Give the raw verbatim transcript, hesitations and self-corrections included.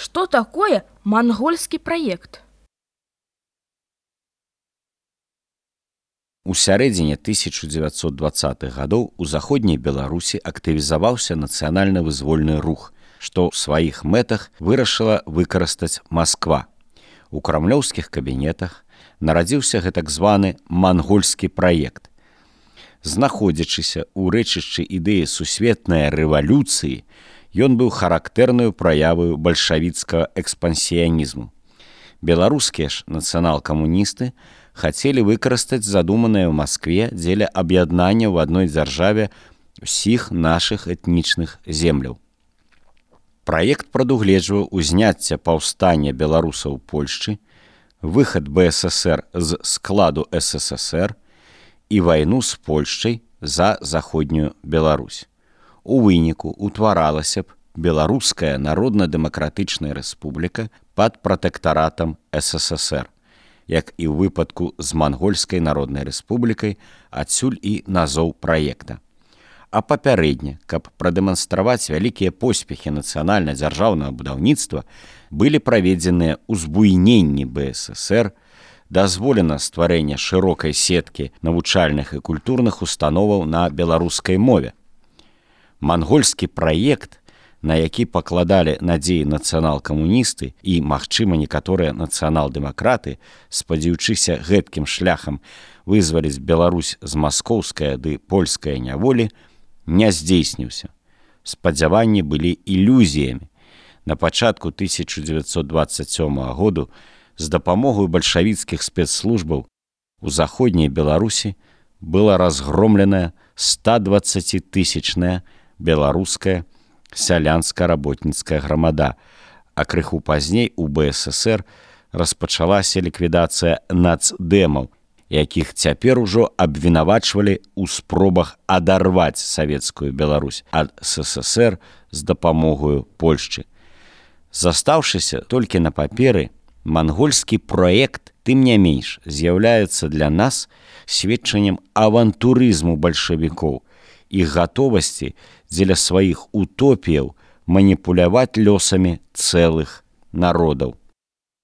Что такое монгольский проект? У сярэдзіне тысяча дзевяцьсот дваццатых гадоў у заходняй Беларусі актывізаваўся нацыянальна-вызвольны рух, што ў сваіх мэтах вырашыла выкарыстаць Масква. У крамлёўскіх кабінетах нарадзіўся гэтак званы мангольскі праект. Знаходзячыся ў рэчышчы ідэі сусветнай рэвалюцыі, ён быў характэрнаю праяваю бальшавіцкага экспансіянізму. Беларускія ж нацыянал-камуністы хацелі выкарыстаць задуманае ў Маскве дзеля аб'яднання ў адной дзяржаве ўсіх нашых этнічных земляў. Праект прадугледжваў узняцце паўстання беларусаў у Польшчы, выхад бэ эс эсэр з складу эс эс эс эр і вайну з Польшчай за заходнюю Беларусь. У выніку утваралася б Беларуская народна-дэмакратычная рэспубліка пад пратэктаратам эс эс эс эр. Як і ў выпадку з Мангольскай народнай рэспублікай, адсюль і назоў праекта. А папярэдне, каб прадэманстраваць вялікія поспехі нацыянальна-дзяржаўнага будаўніцтва, былі праведзеныя узбуйненні бэ эс эс эр, дазволена стварэнне шырокай сеткі навучальных і культурных установаў на беларускай мове. Мангольскі праект, на які пакладалі надзеі нацыянал-камуністы і, магчыма, некаторыя нацыянал-дэмакраты, спадзяючыся гэткім шляхам вызваліць Беларусь з маскоўскай ды польскай няволі, не здзейсніўся. Спадзяванні былі ілюзіямі. На пачатку тысяча дзевяцьсот дваццаць сёмага году з дапамогай бальшавіцкіх спецслужбаў у заходняй Беларусі была разгромленая стадваццацітысячная беларуская сялянска-работніцкая грамада, а крыху пазней у бэ эс эс эр распачалася ліквідацыя нацдэмаў, якіх цяпер ужо абвінавачвалі ў спробах адарваць савецкую Беларусь ад эс эс эс эр з дапамогаю Польшчы. Застаўшыся толькі на паперы, мангольскі праект, тым не менш, з'яўляецца для нас сведчаннем авантурызму бальшавікоў, іх гатовасці дзеля сваіх утопіяў маніпуляваць лёсамі цэлых народаў.